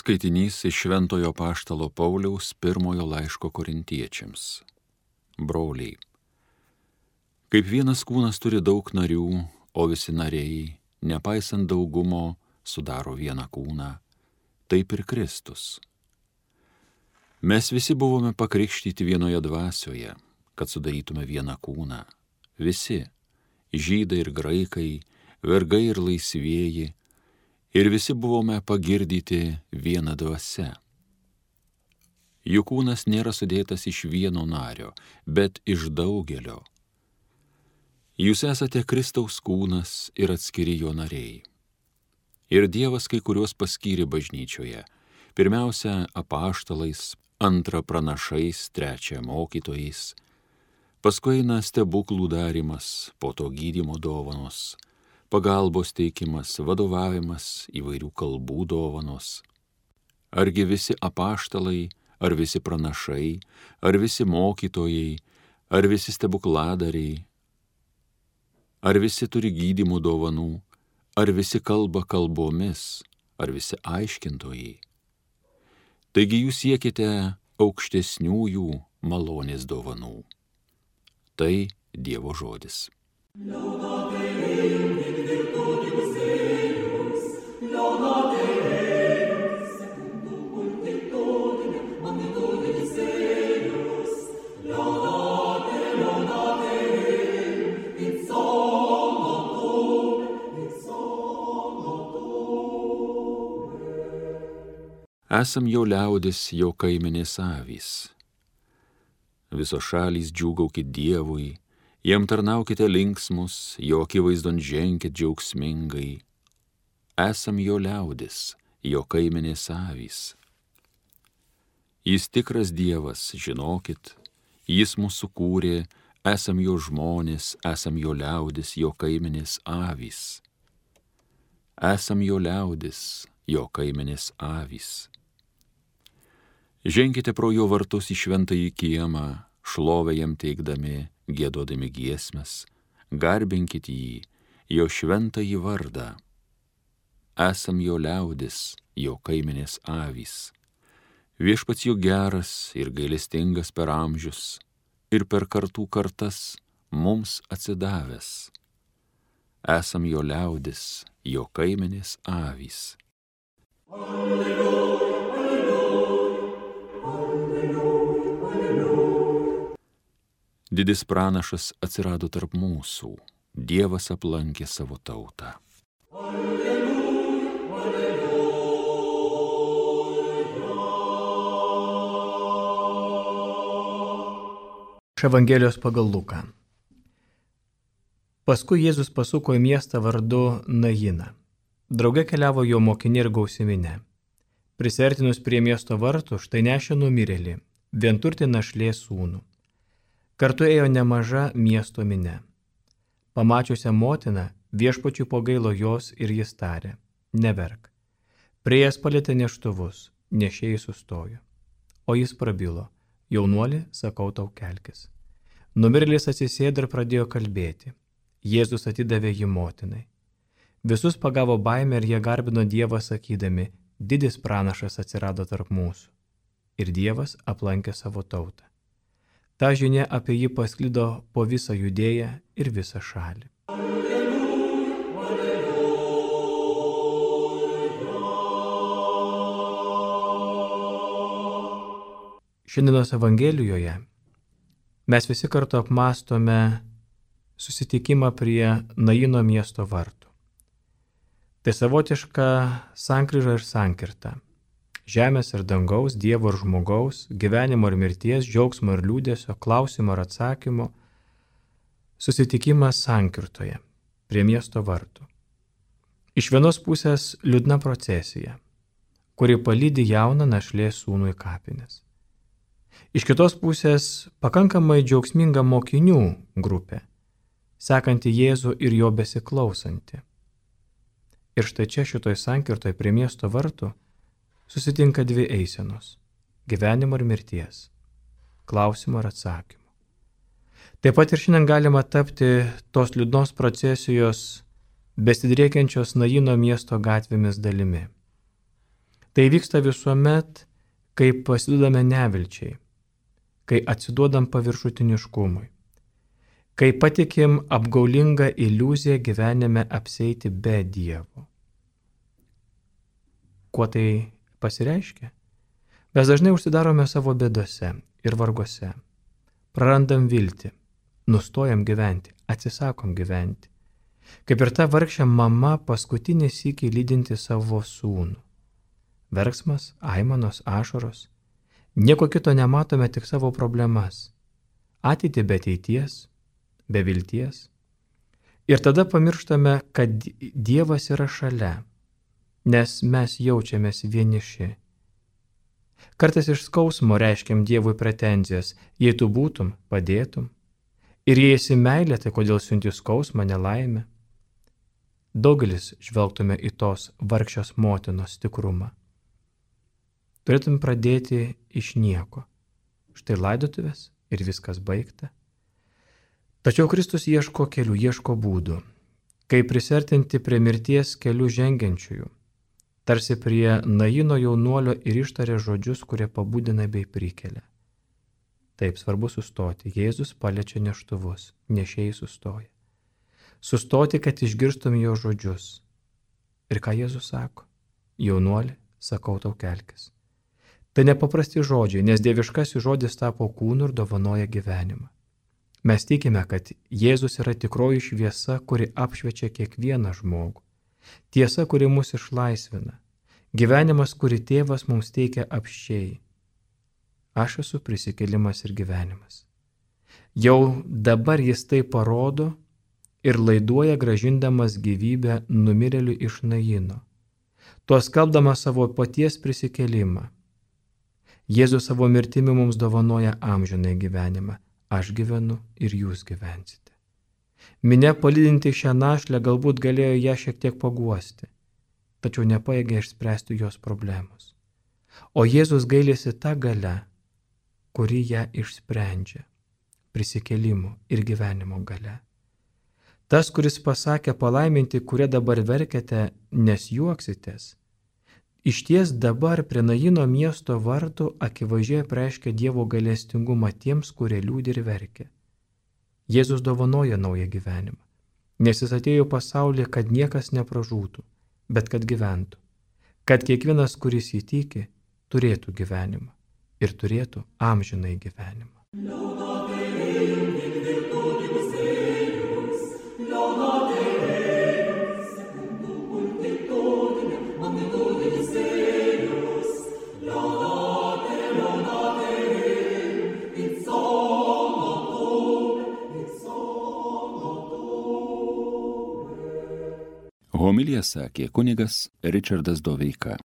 Skaitinys iš Šventojo Apaštalo Pauliaus pirmojo laiško Korintiečiams. Broliai, kaip vienas kūnas turi daug narių, o visi nariai, nepaisant daugumo, sudaro vieną kūną, taip ir Kristus. Mes visi buvome pakrikštyti vienoje dvasioje, kad sudarytume vieną kūną. Visi, žydai ir graikai, vergai ir laisvieji, ir visi buvome pagirdyti viena dvasia. Juk kūnas nėra sudėtas iš vieno nario, bet iš daugelio. Jūs esate Kristaus kūnas ir atskiri jo nariai. Ir Dievas kai kuriuos paskyrė bažnyčioje, pirmiausia apaštalais, antra pranašais, trečia mokytojais, paskui eina stebuklų darymas, po to gydymo dovanos, pagalbos teikimas, vadovavimas, įvairių kalbų dovanos. Argi visi apaštalai, ar visi pranašai, ar visi mokytojai, ar visi stebukladariai, ar visi turi gydymo dovanų, ar visi kalba kalbomis, ar visi aiškintojai. Taigi jūs siekite aukštesniųjų malonės dovanų. Tai Dievo žodis. Esam jo liaudis, jo kaimenės avys. Visos šalys džiūgaukit Dievui, jam tarnaukite linksmus, jo akivaizdon ženkit džiaugsmingai. Esam jo liaudis, jo kaimenės avys. Jis tikras Dievas, žinokit, jis mūsų kūrė, esam jo žmonės, esam jo liaudis, jo kaimenės avys. Esam jo liaudis, jo kaimenės avys. Ženkite pro jo vartus į šventąjį kiemą, šlovę jam teikdami, giedodami giesmes, garbinkit jį, jo šventąjį vardą. Esam jo liaudis, jo kaimenės avys. Viešpats jo geras ir gailestingas per amžius, ir per kartų kartas mums atsidavęs. Esam jo liaudis, jo kaimenės avys. Alleluja. Didis pranašas atsirado tarp mūsų, Dievas aplankė savo tautą. Alleluja, alleluja. Iš Evangelijos pagal Luką. Paskui Jėzus pasuko į miestą vardu Najiną. Drauge keliavo jo mokiniai ir gausi minia. Prisertinus prie miesto vartų, štai nešė numirėlį, vienturtį našlė sūnų. Kartu ėjo nemaža miesto minia. Pamačiusią motiną, viešpačiui pagailo jos ir jis tarė, neverk. Priėjęs palietė neštuvus, nešėjai sustojo. O jis prabilo, jaunuoli, sakau tau kelkis. Numirėlis atsisėdo ir pradėjo kalbėti. Jėzus atidavė jį motinai. Visus pagavo baimę ir jie garbino Dievą sakydami, didis pranašas atsirado tarp mūsų. Ir Dievas aplankė savo tautą. Ta žinia apie jį pasklido po visą Judėją ir visą šalį. Alleluja, alleluja. Šiandienos Evangelijoje mes visi kartu apmąstome susitikimą prie Naino miesto vartų. Tai savotiška sankryža ir sankirta. Žemės ir dangaus, Dievo ir žmogaus, gyvenimo ir mirties, džiaugsmo ir liūdesio, klausimo ir atsakymo, susitikimas sankirtoje, prie miesto vartų. Iš vienos pusės liūdna procesija, kuri palydi jauną našlė sūnų į kapines. Iš kitos pusės pakankamai džiaugsminga mokinių grupė, sekanti Jėzų ir jo besiklausanti. Ir štai čia šitoj sankirtoje prie miesto vartų susitinka dvi eisenos – gyvenimo ir mirties, klausimo ir atsakymo. Taip pat ir šiandien galima tapti tos liūdnos procesijos besidriekiančios Naino miesto gatvėmis dalimi. Tai vyksta visuomet, kai pasiduodame nevilčiai, kai atsiduodam paviršutiniškumui, kai patikim apgaulingą iliuziją gyvenime apseiti be Dievo. Kuo tai pasireiškia? Mes dažnai užsidarome savo bėdose ir vargose, prarandam viltį, nustojam gyventi, atsisakom gyventi. Kaip ir ta vargšė mama paskutinį sykį lydinti savo sūnų. Verksmas, aimanos, ašaros. Nieko kito nematome, tik savo problemas. Ateitį be ateities, be vilties. Ir tada pamirštame, kad Dievas yra šalia, nes mes jaučiamės vieniši. Kartais iš skausmo reiškiam Dievui pretenzijas, jei tu būtum, padėtum. Ir jei esi meilė, tai kodėl siunti skausmą, nelaimę? Daugelis žvelgtume į tos vargščios motinos tikrumą. Turėtum pradėti iš nieko. Štai laidotuvės ir viskas baigta. Tačiau Kristus ieško kelių, ieško būdų, kaip prisertinti prie mirties kelių žengiančiųjų, tarsi prie Naino jaunuolio ir ištarė žodžius, kurie pabudina bei prikelia. Taip svarbu sustoti. Jėzus paliečia neštuvus, nešėjai sustoja. Sustoti, kad išgirstum jo žodžius. Ir ką Jėzus sako? Jaunuoli, sakau tau kelkis. Tai nepaprasti žodžiai, nes dieviškasis žodis tapo kūnu ir dovanoja gyvenimą. Mes tikime, kad Jėzus yra tikroji šviesa, kuri apšviečia kiekvieną žmogų. Tiesa, kuri mus išlaisvina. Gyvenimas, kurį tėvas mums teikia apsčiai. Aš esu prisikėlimas ir gyvenimas. Jau dabar jis tai parodo ir laiduoja grąžindamas gyvybę numirėliui iš Naino, tuo skelbdamas savo paties prisikėlimą. Jėzus savo mirtimi mums dovanoja amžinąjį gyvenimą. Aš gyvenu ir jūs gyvensite. Minia palydinti šią našlę galbūt galėjo ją šiek tiek paguosti, tačiau nepajėgė išspręsti jos problemos. O Jėzus gailisi tą galę, kuri ją išsprendžia – prisikėlimo ir gyvenimo galia. Tas, kuris pasakė palaiminti, kurie dabar verkiate, nes juoksitės, išties dabar prie Naino miesto vartų akivaizdžiai apreiškia Dievo gailestingumą tiems, kurie liūdi ir verkia. Jėzus dovanoja naują gyvenimą, nes jis atėjo į pasaulį, kad niekas nepražūtų, bet kad gyventų, kad kiekvienas, kuris jį tiki, turėtų gyvenimą ir turėtų amžinąjį gyvenimą. Homiliją sakė kunigas Ričardas Doveika.